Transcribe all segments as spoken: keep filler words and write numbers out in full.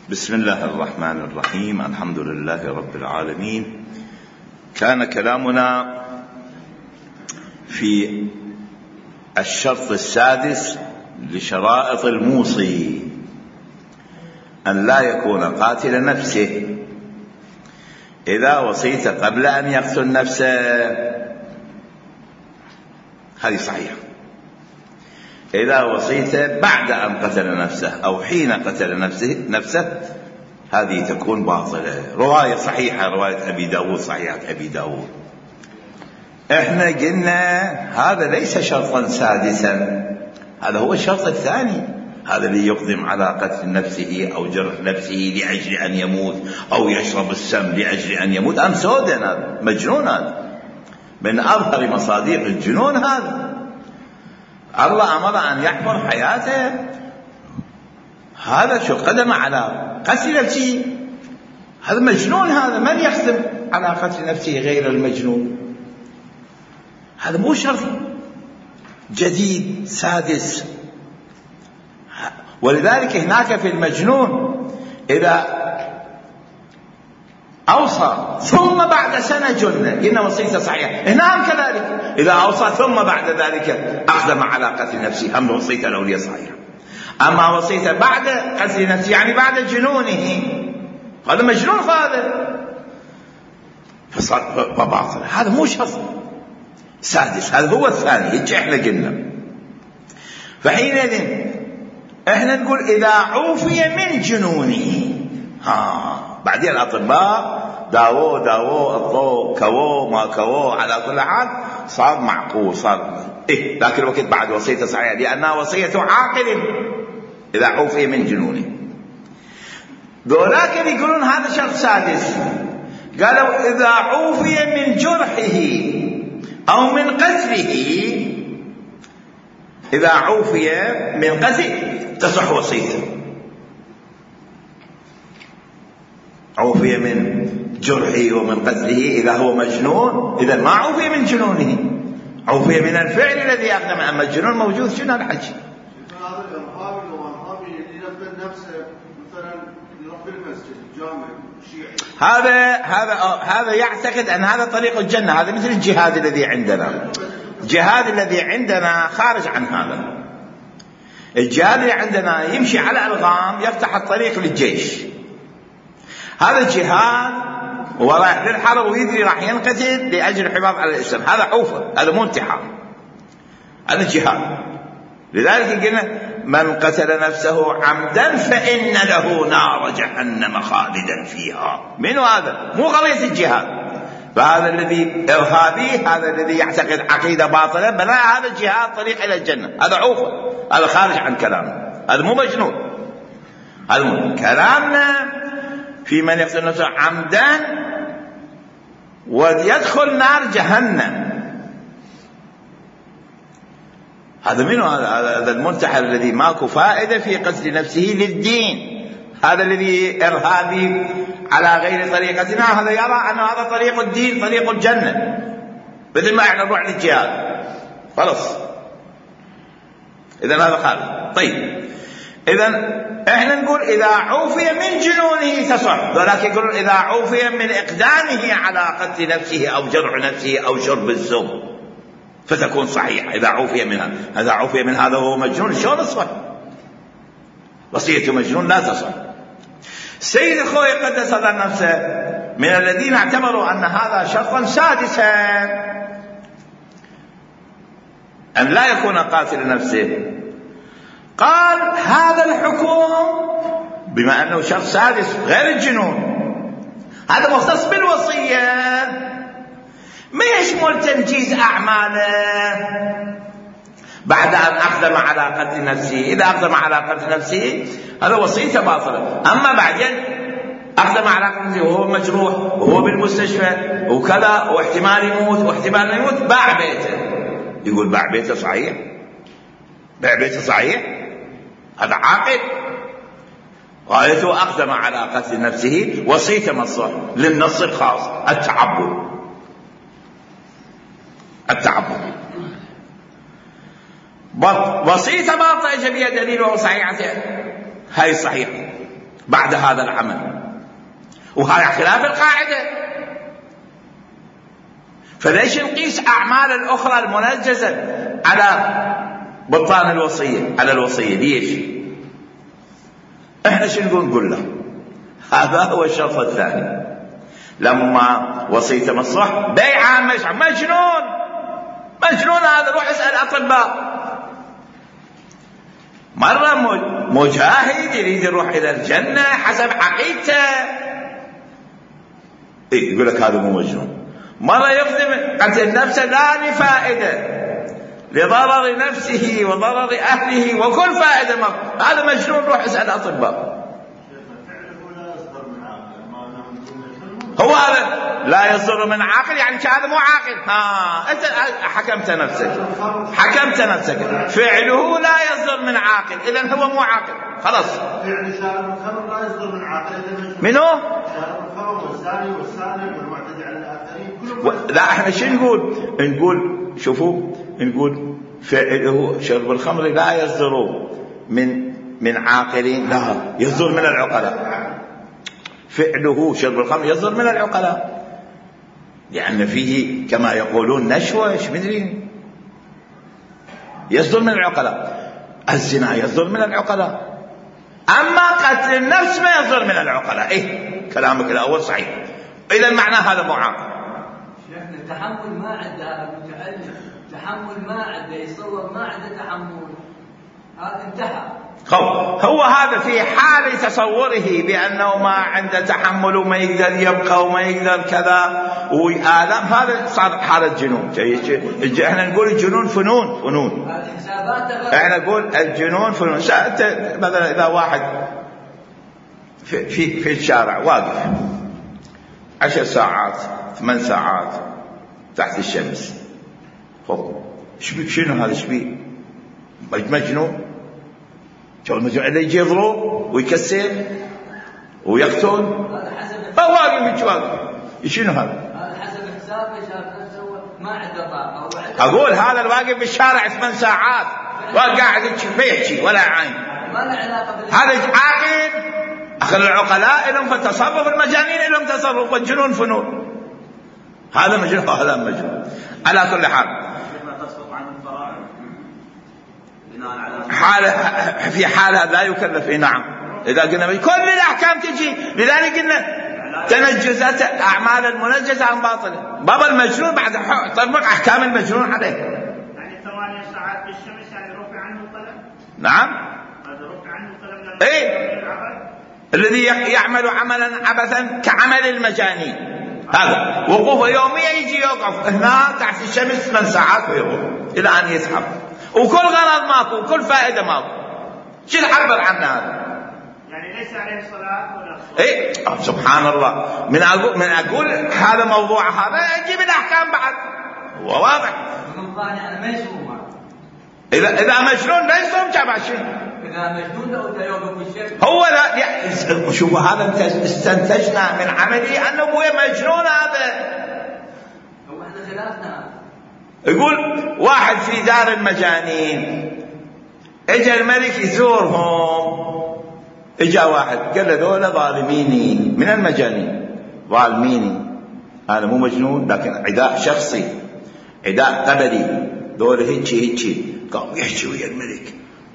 بسم الله الرحمن الرحيم. الحمد لله رب العالمين. كان كلامنا في الشرط السادس لشرائط الموصي أن لا يكون قاتل نفسه. إذا وصيت قبل أن يقتل نفسه هذه صحيحة. إذا وصيت بعد أن قتل نفسه أو حين قتل نفسه, نفسه هذه تكون باطلة. رواية صحيحة، رواية أبي داود، صحيحة أبي داود. احنا قلنا هذا ليس شرطا سادسا، هذا هو الشرط الثاني، هذا اللي يقدم على قتل نفسه أو جرح نفسه لأجل أن يموت أو يشرب السم لأجل أن يموت. أم سودان، هذا مجنون، هذا من أظهر مصادق الجنون. هذا الله أمر أن يحفر حياته، هذا شو قدم على قتل نفسه؟ هذا مجنون. هذا من يقدم على قتل نفسه غير المجنون؟ هذا مو شرط جديد سادس. ولذلك هناك في المجنون إذا أوصى ثم بعد سنة جنة قلنا وصيته صحيحة. هنا كذلك إذا أوصى ثم بعد ذلك أقدم على قتل نفسه هم وصيته الأولية صحيحة. أما وصيته بعد قتل نفسه يعني بعد جنونه، هذا مجنون، هذا فباطل. هذا مو شرط سادس، هذا هو الثاني. هيك احنا قلنا. فحينئذ احنا نقول إذا عوفي من جنونه. ها بعدين الأطباء داووه داووه الضوء كووه ما كووه، على كل حال صار معقول، صار إيه. لكن الوقت بعد وصيته صحيحة لأنها وصية عاقل إذا عوفي من جنونه. ذولاك يقولون هذا شرط سادس. قالوا إذا عوفي من جرحه أو من قتله، إذا عوفي من قتله تصح وصيته. عوفي من جرحه ومن قتله إذا هو مجنون، إذا ما عوفي من جنونه، عوفي من الفعل الذي أقدم. أما الجنون موجود شنو الحج؟ هذا الإرهابي لو إرهابي ينبذ نفسه مثلا يروح بالمسجد الجامع شيعي، هذا هذا هذا يعتقد أن هذا طريق الجنة. هذا مثل الجهاد الذي عندنا. الجهاد الذي عندنا خارج عن هذا. الجهاد اللي عندنا يمشي على ألغام يفتح الطريق للجيش. هذا الجهاد هو رايح للحرب ويدري راح ينقتل لأجل الحفاظ على الإسلام، هذا عوفة، هذا مو انتحار، هذا الجهاد. لذلك قلنا من قتل نفسه عمدا فإن له نار جهنم خالدا فيها. من هذا؟ مو قضية الجهاد. فهذا الذي إرهابي، هذا الذي يعتقد عقيدة باطلة، بلا هذا الجهاد طريق إلى الجنة، هذا عوفة، هذا خارج عن كلامنا، هذا مو مجنون. هذا مو كلامنا في من يقتل نفسه عمدا ويدخل نار جهنم. هذا منه؟ هذا المنتحر الذي ماكو فائدة في قتل نفسه للدين، هذا الذي إرهابي على غير طريقتنا، هذا يرى أن هذا طريق الدين، طريق الجنة، بدل ما احنا نروح للجهاد خلاص. إذن هذا خالد. طيب إذن احنا نقول إذا عوفي من جنونه تصح، ولكن يقولون إذا عوفي من إقدامه على قتل نفسه أو جرح نفسه أو شرب السم فتكون صحيحة. إذا عوفي منها، هذا عوفي من هذا هو مجنون، شلون تصح؟ وصية مجنون لا تصح. سيد الخوي قدس نفسه من الذين اعتبروا أن هذا شرطا سادسا أن لا يكون قاتل نفسه، قال هذا الحكم بما أنه شرط سادس غير الجنون، هذا مختص بالوصية، ما يشمل تنجيز أعماله بعد أن أقدم على قتل نفسه. إذا أقدم على قتل نفسه هذا وصيته باطلة. أما بعدين أقدم على قتل نفسه وهو مجروح وهو بالمستشفى وكذا واحتمال يموت واحتمال يموت، باع بيته. يقول باع بيته صحيح، باع بيته صحيح، هذا عاقل. غايته أقدم على قتل نفسه، وصيته مصر للنص الخاص التعبد. التعبد وصيته باطلة جميع دليل وهو صحيحة، هاي صحيحة. بعد هذا العمل، وهذا خلاف القاعدة. فليش نقيس أعمال الأخرى المنجزة على بطلان الوصية، على الوصية؟ ليش؟ احنا شو نقول؟ نقول له هذا هو الشرط الثاني. لما وصيته مصلح بيع مجنون، مجنون هذا، روح اسأل أطباء. مرة مجاهد يريد يروح إلى الجنة حسب عقيدته، إيه يقول لك هذا مو مجنون. مرة يخدم قتل نفسه لا لفائدة، لضرر نفسه وضرر أهله وكل فائدة، هذا مجنون، روح اسأل أطباء. هو هذا لا يصدر من عاقل، يعني هذا مو عاقل. ها انت حكمت نفسك، حكمت نفسك فعله لا يصدر من عاقل، اذا هو مو عاقل، خلاص. فعل شارب الخمر لا يصدر من عاقل، منو؟ شارب الخمر والزاني والسارق والمعتدي على الاخرين كلهم. لا احنا شو نقول؟ نقول شوفوا، نقول فعله شرب الخمر لا يصدر من من عاقلين، لا يصدر من العقلاء. فعله شرب الخمر يصدر من العقلاء، لأن فيه كما يقولون نشوش مدري، يصدر من العقلاء. الزنا يصدر من العقلاء، أما قتل النفس ما يصدر من العقلاء. إيه كلامك الأول صحيح، إذا معنى هذا مو عاقل. شيخنا التحمل ما عنده متعلم، تحمل ما عنده، يصور ما عنده تحمل، هذا انتهى. هو هذا في حال تصوره بأنه ما عنده تحمل وما يقدر يبقى وما يقدر كذا وآلام، هذا صار حالة جنون. احنا نقول الجنون فنون، فنون احنا نقول الجنون فنون. مثلا إذا واحد في, في, في الشارع واقف عشر ساعات ثمان ساعات تحت الشمس، خب شنو هذا؟ شبيه مجنون؟ اللي يجي يضرب ويكسر ويقتل، هو واقف واقف، شنو هذا؟ هذا حسب حسابه شاف نفسه ما عنده طاقه. اقول هذا الواقف بالشارع ثمان ساعات وقاعد ما يحكي ولا عين، ما له علاقه بال هذا عاقل. اخر العقلاء لهم في التصرف، المجانين لهم تصرف، والجنون فنون. هذا مجنون وهذا مجنون. على كل حال حالة في حالة لا يكلف. نعم إذا قلنا كل الأحكام تجي، لذلك قلنا تنجزات أعمال المنجزة عن باطله. بابا المجنون بعد طبق أحكام المجنون عليه. يعني ثمانية ساعات في الشمس يعني رفع عنه القلم. نعم هذا رفع عنه القلم. إيه الذي يعمل عملا عبثا كعمل المجانين، هذا وقوفه يوميا يجي يوقف هنا تحت الشمس ثمان ساعات ويوقف إلى أن يسحب، وكل غرض ماكو وكل فائدة ماكو. شو تعبر عنه هذا؟ يعني ليس عليه صلاة ولا صلاة. ايه سبحان الله. من اقول من اقول هذا موضوع، هذا اجيب الاحكام بعد، هو واضح. من قانع انا ما يصوم. اذا اذا مجنون لا يصوم تبع شيء. اذا مجنون لو يوم بالشمس هو لا شوفوا هذا استنتجنا من عملي انه هو مجنون. هذا هو احنا خلافنا. يقول واحد في دار المجانين، اجى الملك يزورهم، اجى واحد قال له ذولا ظالميني من المجانين، ظالميني انا مو مجنون لكن عداء شخصي، عداء قبلي، ذولا هيجي هيجي. قام يحكي ويا الملك،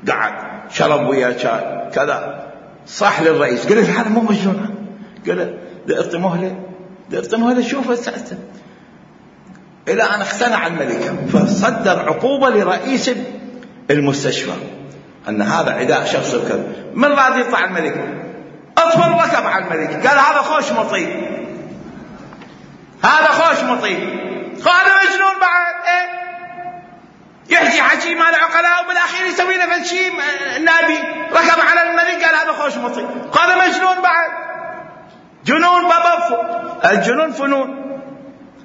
قعد شرب ويا شاي كذا، صح للرئيس قال له هذا مو مجنون، قال له دقت مهله دقت مهله شوف الساعه، الى ان اقتنع الملك فصدر عقوبه لرئيس المستشفى ان هذا عداء شخصي وكذا. من راضي يطلع الملك؟ اطفل ركب على الملك، قال هذا خوش مطيب، هذا خوش مطيب، هذا مجنون بعد. ايه يحكي حكي مال عقلاء وبالاخير يسوي له شيء نابي، ركب على الملك قال هذا خوش مطيب، هذا مجنون بعد. جنون بابا، الجنون فنون.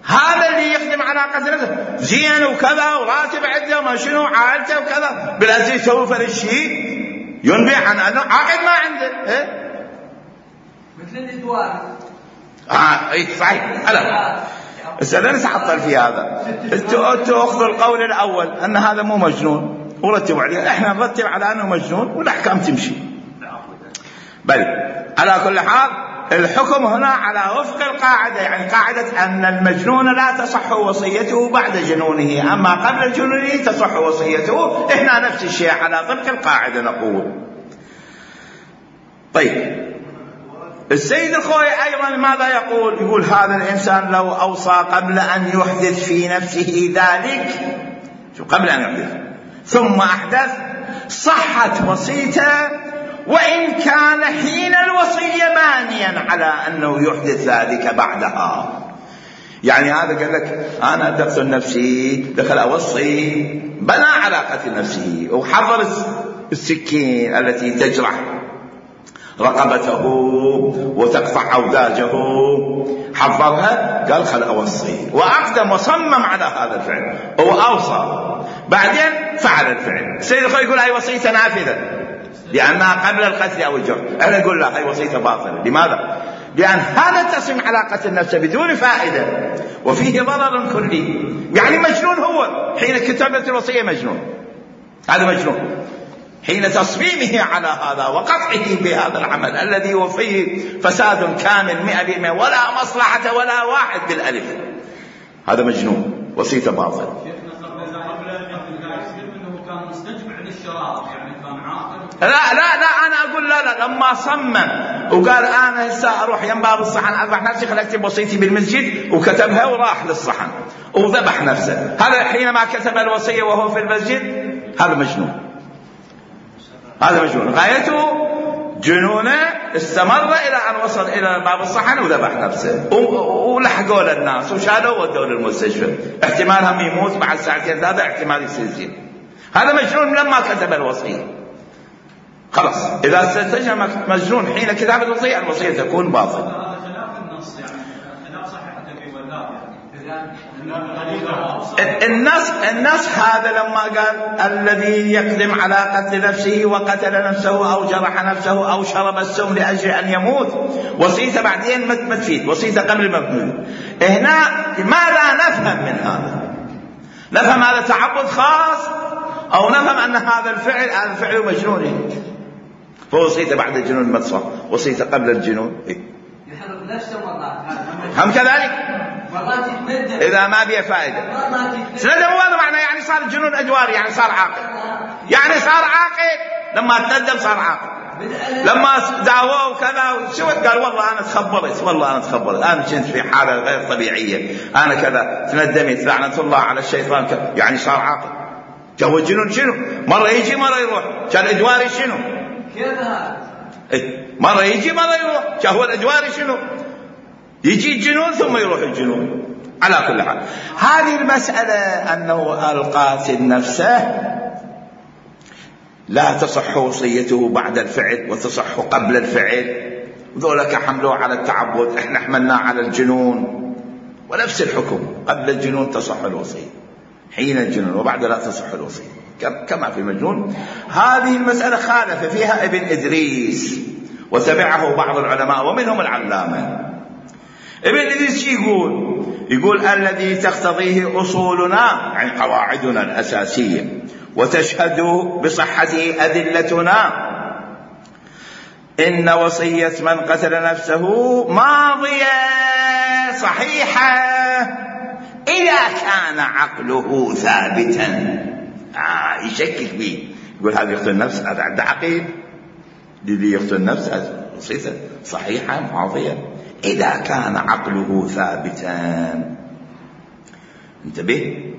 هذا اللي يخدم على قتل نفسه زين وكذا وراتب عنده ما شنو عائلته وكذا، بالأساس يسوي فرق شيء ينبئ عن انه عقد ما عنده. إيه؟ مثل الادوار. اه اي صحيح. هلا هسه لا نتعطل في هذا. انتوا انتوا اخذوا القول الاول ان هذا مو مجنون ورتبوا عليه، احنا نرتب على انه مجنون والاحكام تمشي. بل على كل حال الحكم هنا على وفق القاعدة، يعني قاعدة أن المجنون لا تصح وصيته بعد جنونه، أما قبل جنونه تصح وصيته. إحنا نفس الشيء على طبق القاعدة نقول. طيب السيد الخوئي أيضا ماذا يقول؟ يقول هذا الإنسان لو أوصى قبل أن يحدث في نفسه ذلك، شو قبل أن يحدث ثم أحدث، صحت وصيته وإن كان حين الوصية مانيا على أنه يحدث ذلك بعدها. يعني هذا قال لك أنا أقتل نفسي، دخل أوصي، بنى على قتل نفسه وحضر السكين التي تجرح رقبته وتقطع أوداجه، حضرها قال خل أوصي، وأقدم وصمم على هذا الفعل وأوصى، بعدين فعل الفعل. السيد الخوئي يقول هاي وصيته نافذة لأنها قبل القتل أو الجرح. أنا أقول لا، هاي وصيته باطلة. لماذا؟ لأن هذا تصم على قتل نفسه بدون فائدة وفيه ضرر كلي. يعني مجنون هو حين كتابة الوصية، مجنون، هذا مجنون حين تصميمه على هذا وقطعه بهذا العمل الذي هو فيه فساد كامل مئة بالمئة ولا مصلحة ولا واحد بالألف، هذا مجنون، وصيته باطل. لا لا لا أنا أقول لا لا لما صمم وقال أنا هسه أروح ينباب الصحن أذبح نفسي، خل أكتب وصيتي بالمسجد، وكتبها وراح للصحن وذبح نفسه، هذا حينما كتب الوصية وهو في المسجد، هذا مجنون، هذا مجنون. غايته جنونه استمر إلى أن وصل إلى باب الصحن وذبح نفسه، ولحقوا للناس وشالوا ودوا للمستشفى، احتمال هم يموت بعد ساعتين ثلاثة، احتمال يصير. هذا مجنون لما كتب الوصية. خلاص إذا استنتج مجنون حين كتابة الوصية، الوصية تكون باطلة. هذا خلاف النص، يعني خلاف صحيح أبي ولاد. النص النص هذا لما قال الذي يقدم على قتل نفسه وقتل نفسه أو جرح نفسه أو شرب السم لأجل أن يموت، وصيته بعدين ما تفيد، وصيته قبل المفعول. هنا ماذا نفهم من هذا؟ نفهم هذا تعبد خاص، أو نفهم أن هذا الفعل هذا الفعل مجنون، فوصيته بعد الجنون ما تصح، وصيته قبل الجنون إيه؟ يحرق نفسه مرات، هم كذلك مرات يتمدد إذا ما بيه فائدة. سندم هذا معناه يعني صار الجنون أجواري، يعني صار عاقل، يعني صار عاقل لما تندم صار عاقل. لما دعوه وكذا سوت قال والله أنا تخبرت، والله أنا تخبرت، أنا كنت في حالة غير طبيعية، أنا كذا تندمت، لعنة الله على الشيطان كذا. يعني صار عاقل. جو الجنون شنو؟ مرة يجي مرة يروح. كان الأجواري شنو؟ كيف هذا؟ إيه؟ مرة يجي مرة يروح. كهو الأجواري شنو؟ يجي الجنون ثم يروح الجنون. على كل حال هذه المسألة أنه القاتل نفسه لا تصح وصيته بعد الفعل وتصح قبل الفعل، وذولك حملوه على التعبد، احنا حملناه على الجنون، ونفس الحكم قبل الجنون تصح الوصية، حين الجنون وبعد لا تصح الوصية كما في المجنون. هذه المسألة خالف فيها ابن إدريس وتبعه بعض العلماء ومنهم العلامة. ابن إدريس يقول يقول الذي تقتضيه أصولنا، يعني قواعدنا الأساسية، وتشهد بصحته أدلتنا، إن وصية من قتل نفسه ماضية صحيحة إذا كان عقله ثابتا. آه يشكك به، يقول هذا يقتل نفس، هذا عنده عقيل، الذي يقتل نفس وصيته صحيحة ماضية إذا كان عقله ثابتا. انتبه،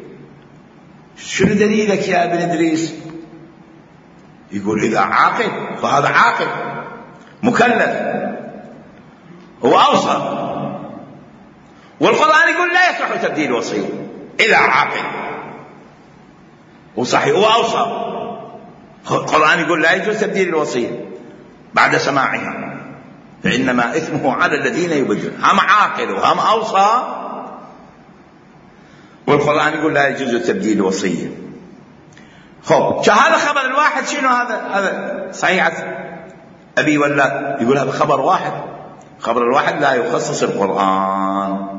شنو دليلك يا ابن إدريس؟ يقول إذا عاقل فهذا عاقل مكلف هو أوصى، والقرآن يقول لا يصح تبديل وصية إذا عاقل وصحيح هو أوصى. القرآن يقول لا يجوز تبديل الوصية بعد سماعها، فإنما إثمه على الذين يبدلون. هم عاقل وهم أوصى، والقرآن يقول لا يجوز تبديل الوصية. خب هذا خبر الواحد شنو؟ هذا هذا صحيح أبي ولا يقول هذا خبر واحد، خبر الواحد لا يخصص القرآن.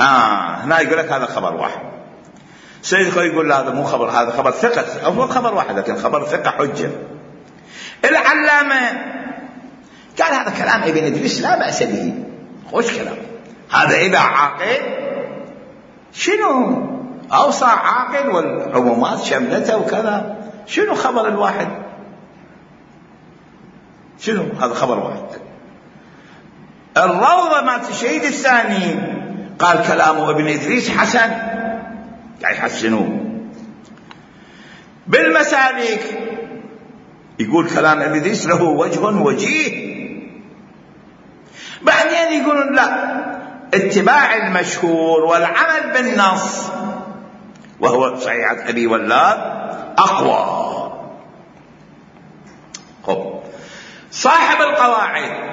آه هنا يقول لك هذا خبر واحد. سيد الخوئي يقول لا هذا مو خبر، هذا خبر ثقة، أو خبر واحد لكن خبر ثقة حجة. العلامة هذا كلام ابن إدريس لا بأس به، خوش كلام هذا. إذا عاقل شنو أوصى عاقل والعمومات شملته وكذا، شنو خبر الواحد؟ شنو هذا خبر واحد؟ الروضة مالت الشهيد الثاني قال كلامه ابن إدريس حسن، يعني يحسنوه. بالمسالك يقول كلام ابن إدريس له وجه وجيه. بعدين يقولون لا، اتباع المشهور والعمل بالنص وهو صحيحة أبي ولاد أقوى. خب صاحب القواعد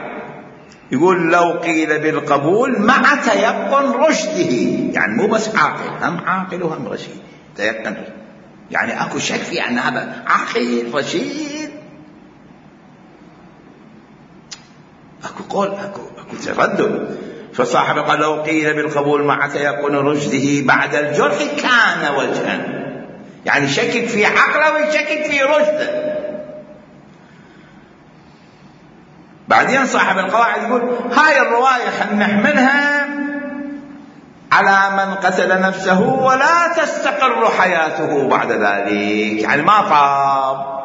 يقول لو قيل بالقبول مع تيقن رشده، يعني مو بس عاقل، هم عاقل وهم رشيد، تيقن يعني اكو شك في ان هذا عاقل رشيد، اكو قول اكو اكو تردد. فصاحب قال لو قيل بالقبول مع تيقن رشده بعد الجرح كان وجها، يعني شكك في عقله ويشكك في رشده. بعدين صاحب القواعد يقول هاي الرواية خلينا نحملها على من قتل نفسه ولا تستقر حياته بعد ذلك، يعني ما طاب،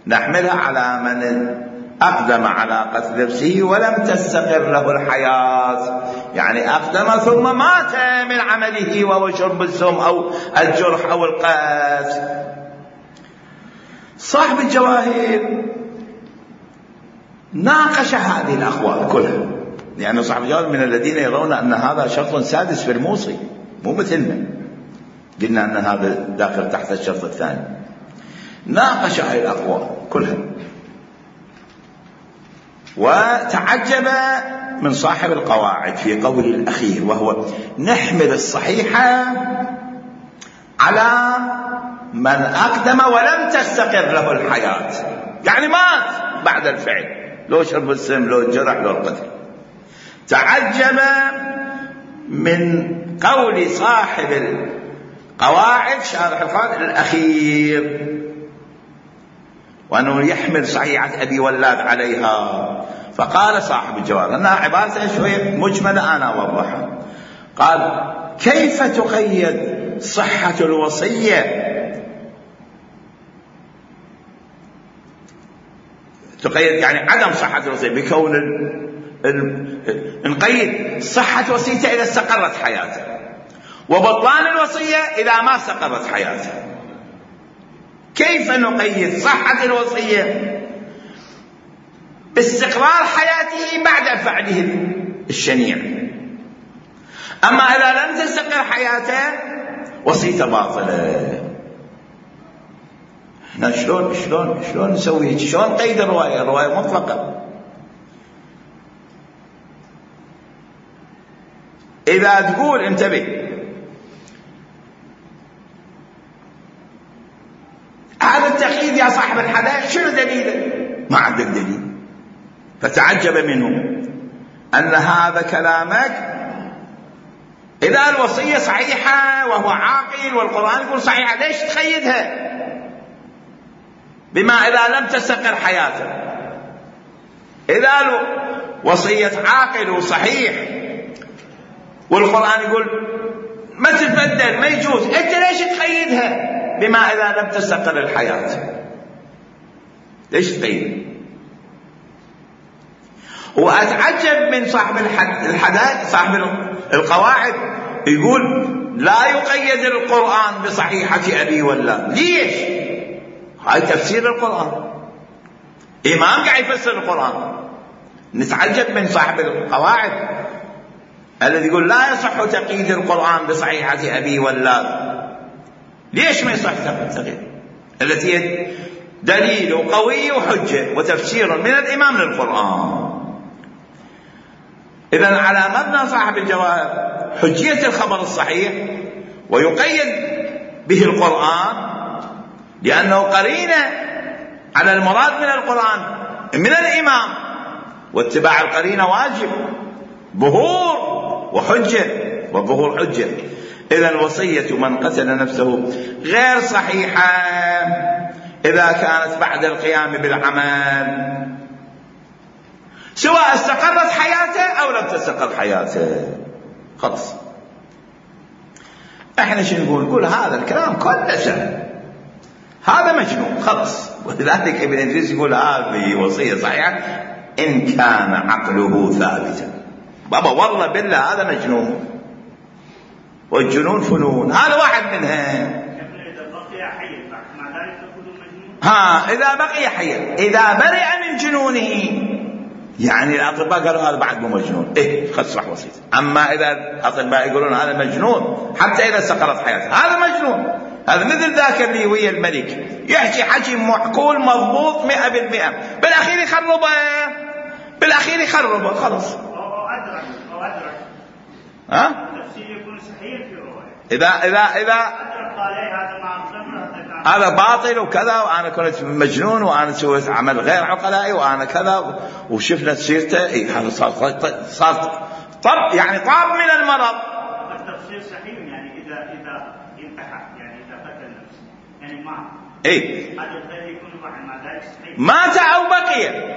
نحملها على من أقدم على قتل نفسه ولم تستقر له الحياة، يعني أقدم ثم مات من عمله وهو شرب السم أو الجرح أو القتل. صاحب الجواهر ناقش هذه الأقوال كلها، لأن صاحب الجواهر من الذين يرون أن هذا شرط سادس في الموصي، مو مثلنا قلنا أن هذا داخل تحت الشرط الثاني. ناقش هذه الأقوال كلها وتعجب من صاحب القواعد في قوله الأخير، وهو نحمل الصحيحة على من أقدم ولم تستقر له الحياة، يعني مات بعد الفعل، لو شرب السم لو الجرح لو القتل. تعجب من قول صاحب القواعد شارح القواعد الأخير، وأنه يحمل صحيحة أبي ولاد عليها. فقال صاحب الجواب أنها عبارة شوية مجملة أنا أوضحها، قال كيف تقيد صحة الوصية، تقيد يعني عدم صحة الوصية بكون ال... ال... نقيد صحة وصيته إذا استقرت حياته، وبطلان الوصية إذا ما استقرت حياته. كيف نقيد صحة الوصية باستقرار حياته بعد فعله الشنيع، أما إذا لم تستقر حياته وصيته باطلة. احنا شلون شلون شلون نسوي هيك؟ شلون نقيد الرواية؟ الرواية مطلقة. إذا تقول انتبه هذا التقييد يا صاحب الحدائق شنو دليله؟ ما عندك دليل. فتعجب منه أن هذا كلامك إذا الوصية صحيحة وهو عاقل والقرآن يقول صحيحة، ليش تقيدها بما إذا لم تستقر حياته؟ إذا وصية عاقل وصحيح والقرآن يقول ما تتبدل ما يجوز، أنت ليش تقيدها بما إذا لم تستقر الحياة؟ ليش تقيد؟ وأتعجب من صاحب الحدائق صاحب القواعد يقول لا يقيد القرآن بصحيحة أبي ولاد. ليش؟ هاي تفسير القرآن، إمام قاعد يفسر القرآن. نتعجب من صاحب القواعد الذي يقول لا يصح تقييد القرآن بصحيحة أبي ولاد. ليش ما يصح تقييد؟ التي هي دليل قوي وحجة وتفسير من الإمام للقرآن. إذن على مبنى صاحب الجواب حجية الخبر الصحيح ويقيد به القرآن لأنه قرينة على المراد من القرآن من الإمام، واتباع القرينة واجب، ظهور وحجة وظهور حجة. إذن وصية من قتل نفسه غير صحيحة إذا كانت بعد القيام بالعمل سواء استقرت حياته أو لم تستقر حياته. خلص. احنا شو نقول؟ نقول هذا الكلام كله سهل، هذا مجنون خلص. ولذلك ابن إدريس يقول هذه وصية صحيحة إن كان عقله ثابتا. بابا والله بالله هذا مجنون، والجنون فنون، هذا واحد منها. ها إذا بقي حيا، إذا برئ من جنونه، يعني الأطباء قالوا هذا بعد مو مجنون، إيه خلص راح وصيته. أما إذا الأطباء يقولون هذا مجنون حتى إذا استقرت حياته، هذا مجنون. هذا مثل ذاك اللي ويا الملك يحكي حكي معقول مضبوط مئة بالمئة، بالأخير يخربه، بالأخير يخربه خلص. أدرك أو أدرك ها؟ تفسير يكون صحيح في رواية. إذا إذا إذا أدرك قال هذا ما هذا باطل وكذا، وأنا كنت مجنون وأنا سويت عمل غير عقلائي وأنا كذا، وشفنا سيرته، إيه هذا صار صار طر يعني طار من المرض. التفسير صحيح يعني إذا إذا انتحر، يعني إذا قتل نفسه، يعني ما إيه هذا الذي يكون واحد مع ذلك صحيح. مات أو بقي،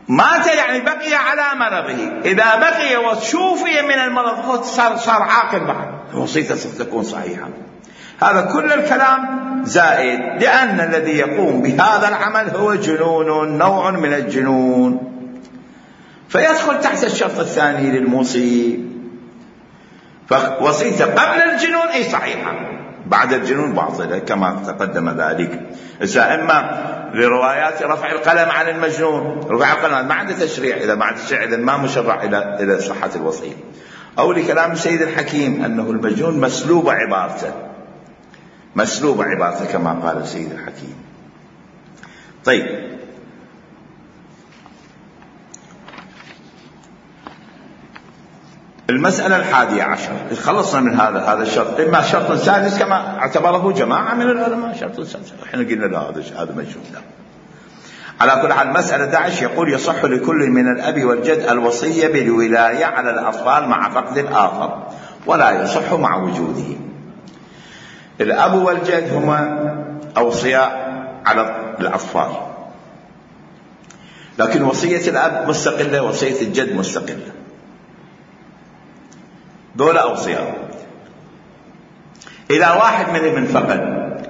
مات يعني بقي على مرضه. إذا بقي وشوفي من المرض صار صار عاقل بعد، وصيته ستكون صحيحة. هذا كل الكلام زائد، لأن الذي يقوم بهذا العمل هو جنون، نوع من الجنون، فيدخل تحت الشرط الثاني للموصي. فوصيته قبل الجنون أي صحيحة، بعد الجنون باطلة كما تقدم ذلك. إما لروايات رفع القلم عن المجنون، رفع القلم ما عنده تشريع، إذا ما عنده تشريع إذا ما مشرع إلى إلى صحة الوصية. أو لكلام السيد الحكيم أنه المجنون مسلوب عبارته، مسلوب عبارته كما قال السيد الحكيم. طيب المسألة الحادية عشر، خلصنا من هذا هذا الشرط. إما شرط سادس كما اعتبره جماعة من العلماء شرط سادس، احنا قلنا لا هذا هذا مجنون. لا. على كل حال المسألة أحد عشر يقول يصح لكل من الأب والجد الوصية بالولاية على الأطفال مع فقد الآخر، ولا يصح مع وجوده. الأب والجد هما أوصياء على الأطفال، لكن وصية الأب مستقلة، وصية الجد مستقلة، دول أوصياء. إذا واحد منهم انفقد،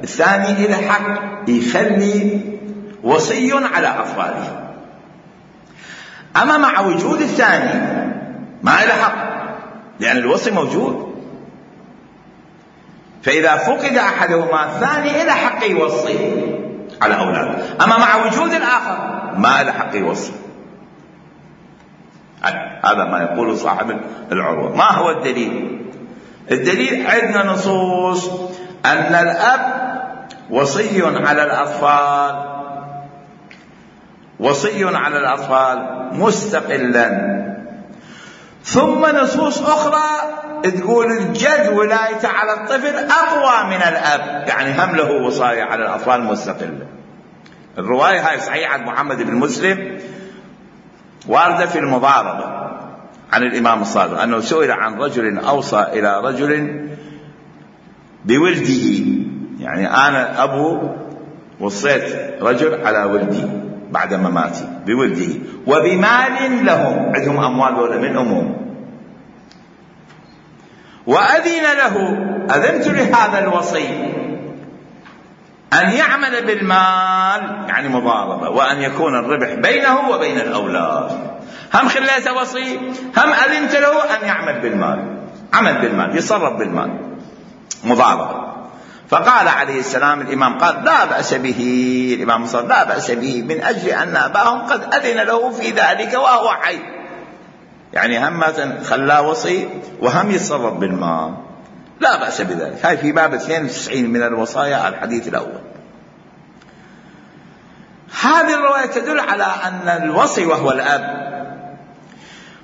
الثاني إلى حق يخلي وصي على أطفاله. أما مع وجود الثاني ما إلى حق، لأن الوصي موجود. فإذا فقد أحدهما الثاني إلى حق يوصي على أولاده، أما مع وجود الآخر ما إلى حق يوصي. هذا ما يقول صاحب العروة. ما هو الدليل؟ الدليل عندنا نصوص أن الأب وصي على الأطفال، وصي على الأطفال مستقلا. ثم نصوص أخرى تقول الجد ولايته على الطفل أقوى من الأب، يعني هم له وصاية على الأطفال مستقلة. الرواية هاي صحيحة محمد بن مسلم واردة في المضاربة عن الإمام الصادق أنه سئل عن رجل أوصى إلى رجل بولده، يعني أنا أبو وصيت رجل على ولدي بعد مماتي بولده وبمال لهم، عندهم أموال ولا من أمهم، وأذن له، أذنت لهذا الوصي أن يعمل بالمال، يعني مضاربة، وأن يكون الربح بينه وبين الأولاد. هم خليته وصي، هم أذنت له أن يعمل بالمال، عمل بالمال، يصرف بالمال، مضاربة. فقال عليه السلام، الإمام قال لا بأس به، الإمام صلى لا بأس به، من أجل أن أباهم قد أذن له في ذلك وهو حي، يعني هم خلاه وصي وهم يتصرف بالمال، لا بأس بذلك. هاي في باب اثنين وتسعين من الوصايا الحديث الأول. هذه الرواية تدل على أن الوصي وهو الأب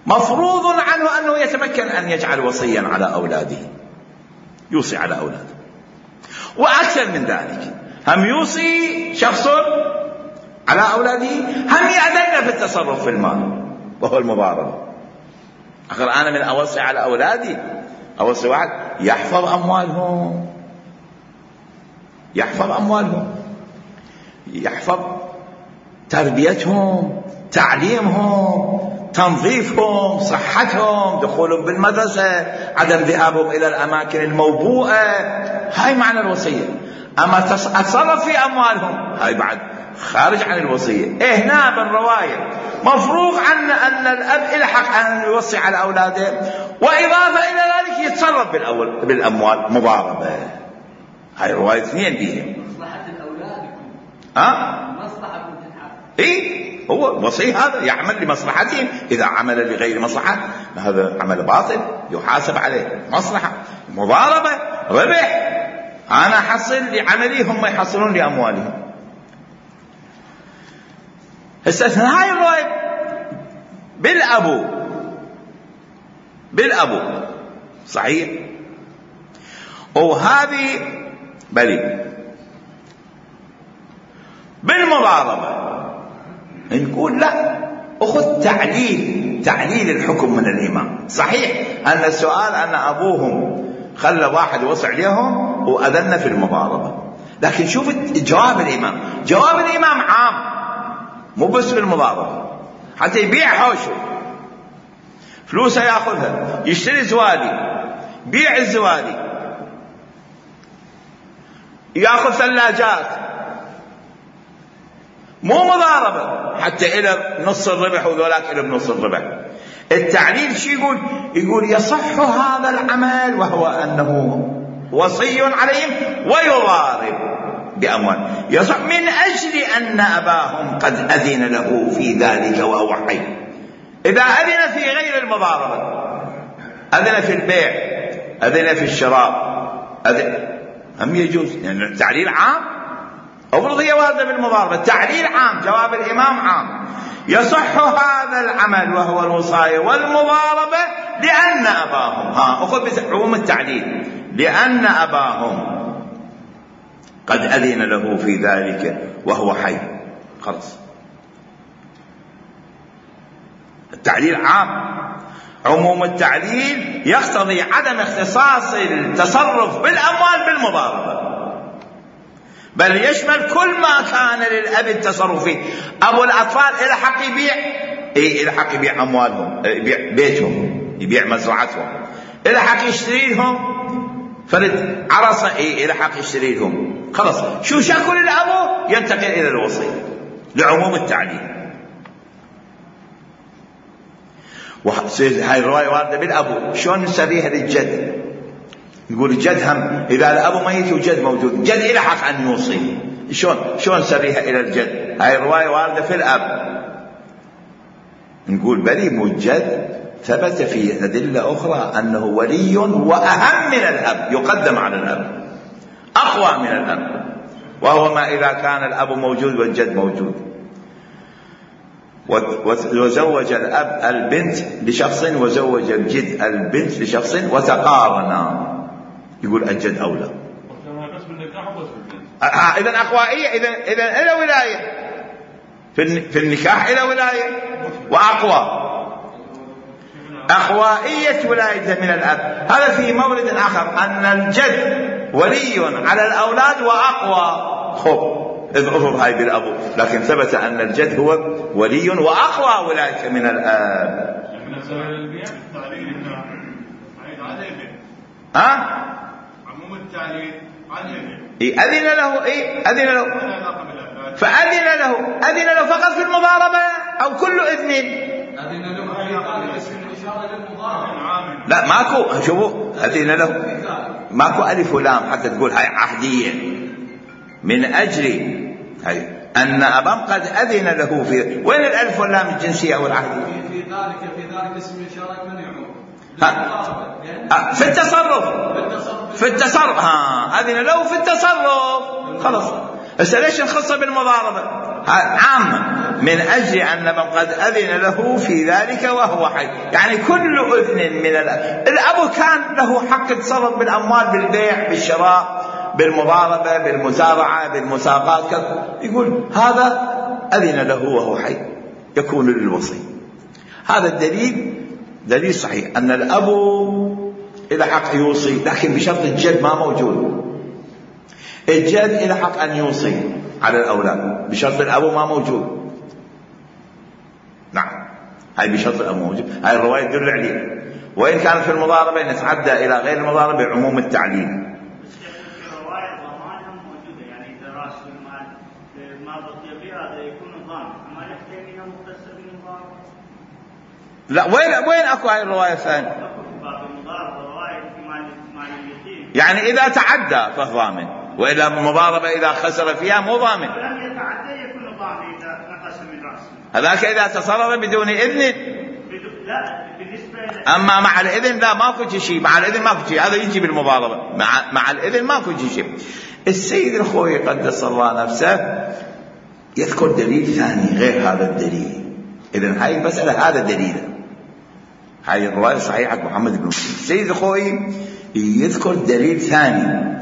مفروض عنه أنه يتمكن أن يجعل وصيا على أولاده، يوصي على أولاده. وأكثر من ذلك، هم يوصي شخص على أولاده، هم يأذن في التصرف في المال وهو المضاربة. أخر أنا من أوصي على أولادي، أوصي واحد يحفظ أموالهم، يحفظ أموالهم، يحفظ تربيتهم، تعليمهم، تنظيفهم، صحتهم، دخولهم بالمدرسة، عدم ذهابهم إلى الأماكن الموبوءة. هاي معنى الوصية. أما أتصرف في أموالهم هاي بعد خارج عن الوصية. إيه هنا بالرواية مفروغ عن أن الأب إلى حق أن يوصي على أولاده، وإضافة إلى ذلك يتصرف بالأول بالأموال مضاربة. هاي رواية اثنين بيهم. مصلحة الأولاد يكون. ها؟ مصلحة تتحقق. إيه هو وصي هذا يعمل لمصلحتهم. إذا عمل لغير مصلحة هذا عمل باطل يحاسب عليه. مصلحة، مضاربة، ربح، أنا أحصل لعملي هم يحصلون لأموالهم. استثنى هاي الرواية بالأبو بالأبو صحيح. وهذه بلي بالمضاربة نقول لا، أخذ تعليل تعليل الحكم من الإمام. صحيح أن السؤال أن أبوهم خلى واحد وصع عليهم وأذن في المضاربة، لكن شوف جواب الإمام. جواب الإمام عام مو بس بالمضاربة، حتى يبيع حوشه فلوسه يأخذها، يشتري زوالي، بيع الزوالي، يأخذ ثلاجات، مو مضاربة حتى إلى نص الربح وذولاك إلى بنص الربح. التعليل شو يقول؟ يقول يصح هذا العمل وهو أنه وصي عليهم ويضارب بأموال، يصح من أجل أن أباهم قد أذن له في ذلك وهو حي. إذا أذن في غير المضاربة، أذن في البيع، أذن في الشراء، أذن هم يجوز، يعني التعليل عام. أفرض هي واردة بالمضاربة، التعليل عام، جواب الإمام عام. يصح هذا العمل وهو الوصاية والمضاربة لأن أباهم، ها أخذ بعموم التعليل، لأن أباهم قد أذن له في ذلك وهو حي. خلص التعليل عام. عموم التعليل يقتضي عدم اختصاص التصرف بالأموال بالمضاربة، بل يشمل كل ما كان للأب التصرف فيه. أبو الأطفال إلى حق يبيع، إيه إلى حق يبيع أموالهم، يبيع بيتهم، يبيع مزرعتهم، إلى حق يشتري لهم فرد عرصة، إيه إلى حق يشتري لهم. خلاص شو شكل الأبو ينتقل إلى الوصي لعموم التعليل. هاي الرواية واردة بالأبو. شلون نسبيها للجد؟ نقول الجد هم إذا الأب ميت وجد موجود، الجد إلى حق أن يوصي. شلون شلون نسبيها إلى الجد؟ هاي الرواية واردة في الأب. نقول بلي مو الجد، ثبت في أدلة أخرى أنه ولي وأهم من الأب، يقدم على الأب، أقوى من الأب، وهو ما إذا كان الأب موجود والجد موجود. وزوج الأب البنت لشخص وزوج الجد البنت لشخص وتقارنا، يقول الجد أولى. إذن أقوائية، إذن إذن إلى ولاية في النكاح، إلى ولاية وأقوى. أقوائية ولاية من الأب. هذا في مورد آخر أن الجد ولي على الأولاد وأقوى. خب اضرب هاي بالأبو، لكن ثبت أن الجد هو ولي وأقوى ولاية من الأب. ها؟ عموم التعليل إيه أذن له، إيه أذن له، فأذن له، أذن له فقط في المضاربة أو كل إذن؟ أذن له في ذلك اسم الإشارة للمضاربة. لا ماكو، شوفوا أذن له ماكو ألف ولام حتى تقول هاي عهدية، من أجل هاي أن أبام قد أذن له في. وين الألف واللام الجنسية أو العهدية؟ في ذلك في ذلك اسم الإشارة من يعود في التصرف، في التصرف ها أذن له في التصرف. خلاص هسه ليش نخصه بالمضاربة؟ عامة من أجل أن من قد أذن له في ذلك وهو حي، يعني كل أذن من الأب. الأب كان له حق يتصرف بالأموال، بالبيع، بالشراء، بالمضاربة، بالمزارعة، بالمساقات، يقول هذا أذن له وهو حي، يكون للوصي. هذا الدليل دليل صحيح أن الأب إلى حق يوصي، لكن بشرط الجد ما موجود. الجد إلى حق أن يوصي على الأولاد بشرط الأب ما موجود. هاي بشرط الأموجب، هاي الرواية تدل عليه. وإن كانت في المضاربة نتعدى إلى غير المضاربة بعموم التعليل. الرواية ضمانها موجودة، يعني إذا رأس المال ما بقي به هذا يكون ضامن، أما يحتاج إلى مختصر بالمضاربة. لا، وين وين أكو هاي الرواية الثانية؟ يعني إذا تعدى فضامن، وإذا المضاربة إذا خسر فيها مو ضامن. لم يتعدى يكون ضامن إذا نقص من رأسه. هذاك إذا تصرف بدون إذن. لا بالنسبة أما مع الإذن لا، ماكو شيء. مع الإذن ماكو شيء، هذا يجي بالمضاربة. مع مع الإذن ماكو شيء. السيد الخوي قدس الله نفسه يذكر دليل ثاني غير هذا الدليل. إذن هاي المسألة هذا دليله. هاي الرواية صحيحة محمد بن مسلم. السيد الخوي يذكر دليل ثاني،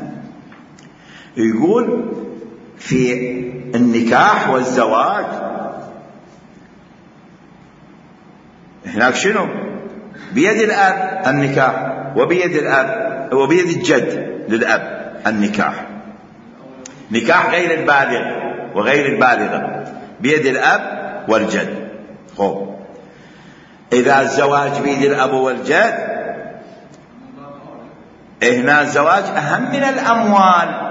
يقول في النكاح والزواج هناك شنو؟ بيد الأب النكاح، وبيد الأب وبيد الجد للأب النكاح. نكاح غير البالغ وغير البالغة بيد الأب والجد. خب إذا الزواج بيد الأب والجد، هنا الزواج أهم من الأموال.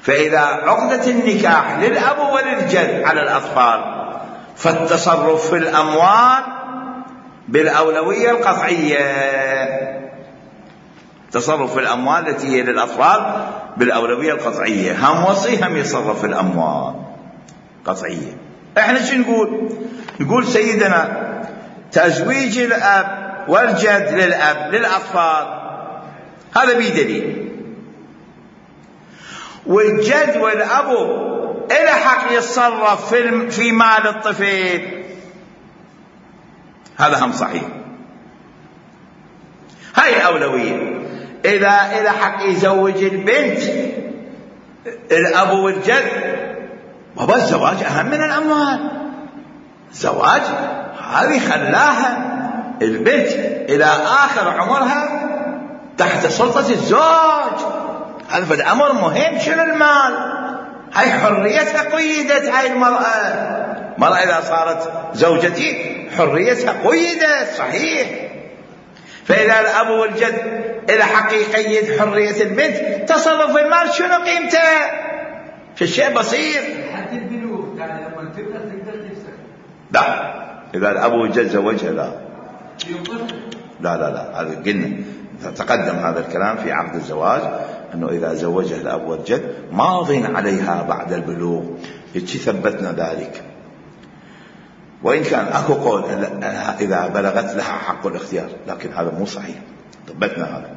فإذا عقدة النكاح للأب وللجد على الأطفال، فالتصرف في الأموال بالأولوية القطعية. تصرف في الأموال التي هي للأطفال بالأولوية القطعية. هم وصي هم يصرف في الأموال قطعية. احنا شو نقول؟ نقول سيدنا تزويج الأب والجد للأب للأطفال هذا بدليل، والجد والأبو إلى حق يتصرف في في مال الطفل، هذا هم صحيح. هاي الأولوية. إذا إلى حق يزوج البنت الأب والجد، بابا الزواج أهم من الأموال. الزواج هذه خلاها البنت إلى آخر عمرها تحت سلطة الزوج. هذا فد أمر مهم. شنو المال؟ هاي حريتها قيدت. هاي المرأة مرأة إذا صارت زوجتي حريتها قيدت. صحيح. فإذا الأب والجد إلى حق يقيد حرية البنت، تصرف المال شنو قيمته؟ في الشيء بسيط. حتى البنوك يعني لما تبدأ تقدر تفسخ. لا، إذا الأب والجد زوجها لا لا لا لا هذا قلنا تقدم هذا الكلام في عقد الزواج، أنه إذا زوجها الأب والجد ماض عليها بعد البلوغ. يتشي ثبتنا ذلك. وإن كان أكو قول إذا بلغت لها حق الاختيار، لكن هذا مو صحيح. ثبتنا هذا.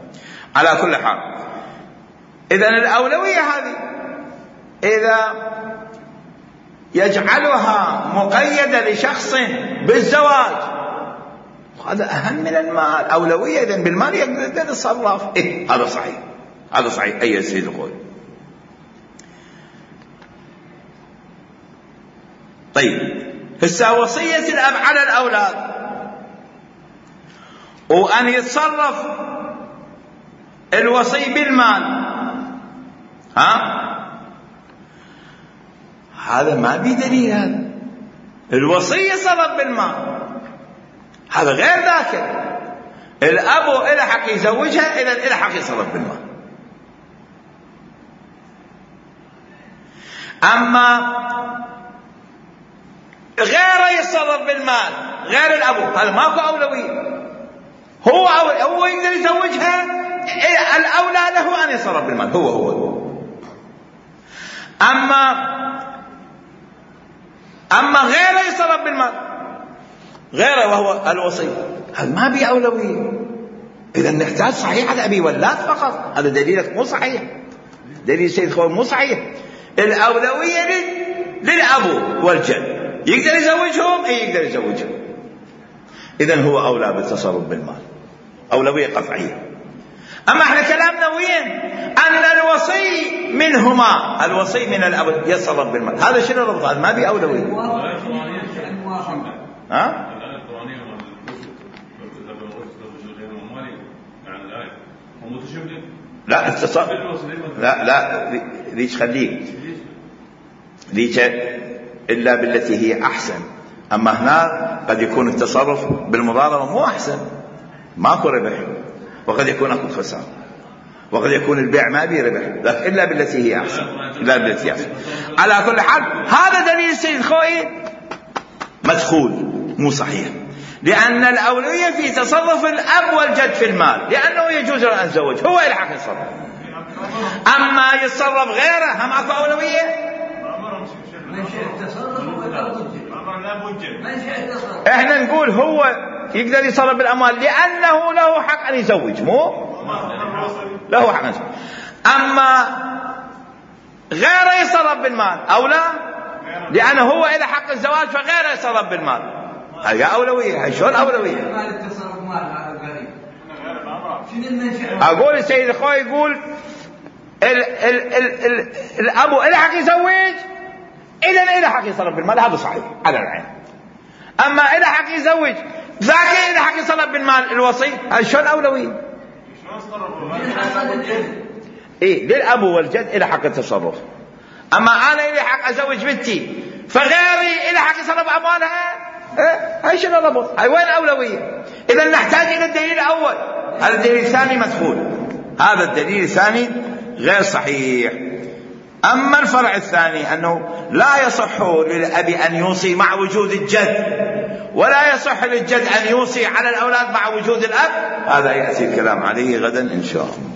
على كل حال، إذن الأولوية هذه إذا يجعلها مقيدة لشخص بالزواج، هذا أهم من المال. أولوية إذن بالمال يقدر يتصرف. إيه هذا صحيح. هذا صحيح. أي سيد القول. طيب هسه وصية الأب على الأولاد وأن يتصرف الوصي بالمال، ها هذا ما بدليل. هذا الوصي يتصرف بالمال، هذا غير ذاك. الأب إلى حق يزوجها، إذا إلى حق يتصرف بالمال. أما غير يتصرف بالمال غير الأب، هذا ماكو أولوية. هو هو يقدر يزوجها، الأولى له أن يتصرف بالمال. هو هو أما أما غير يتصرف بالمال غيره وهو الوصي، هذا ما بي أولوية. إذا نحتاج صحيح على أبي ولاد فقط. هذا دليلك مو صحيح. دليل سيد خوي مو صحيح. الأولوية للأبو والجد. يقدر يزوجهم؟ اي يقدر يزوجهم. اذن هو اولى بالتصرف بالمال، اولويه قطعيه. اما احنا كلامنا وين؟ ان الوصي منهما، الوصي من الاب يتصرف بالمال. هذا شنو الربط؟ هذا ما بي اولويه. ها؟ لا التصرف لا لا ليش خليه ليش إلا بالتي هي أحسن أما هنا قد يكون التصرف بالمضاربة مو أحسن، ماكو ربح، وقد يكون أكو خسارة، وقد يكون البيع ما بيه ربح، لكن إلا بالتي هي أحسن، إلا بالتي هي أحسن. على كل حال هذا دليل السيد الخوئي مدخول مو صحيح، لأن الأولوية في تصرف الأب والجد في المال، لأنه يجوز له أن يتزوج، هو الحق يتصرف. أما يتصرف غيره هم أكو أولوية. احنا نقول هو يقدر يتصرف بالأموال لأنه له حق أن يزوج، مو له حق أن يزوج. أما غيره يتصرف بالمال أو لا، لأنه هو إذا حق الزواج فغيره يتصرف بالمال، هذه أولوية. هاي شلون أولوية؟ أقول السيد الخوي يقول ال ال ال ال الأبو إله حق يزوج، إذا إله حق يتصرف بالمال، هذا صحيح على العين. أما إله حق يزوج ذاك إله حق يتصرف بالمال الوصي، هذا شلون أولوية؟ إيه للأبو والجد إله حق التصرف. أما أنا إله حق أزوج بنتي فغيري إله حق يتصرف أموالها، إيه هاي شنو الربط؟ هاي وين أولوية؟ إذا نحتاج إلى الدليل الأول، هذا الدليل الثاني مدخول، هذا الدليل الثاني غير صحيح. أما الفرع الثاني أنه لا يصح للأب أن يوصي مع وجود الجد، ولا يصح للجد أن يوصي على الأولاد مع وجود الأب، هذا يأتي الكلام عليه غدا إن شاء الله.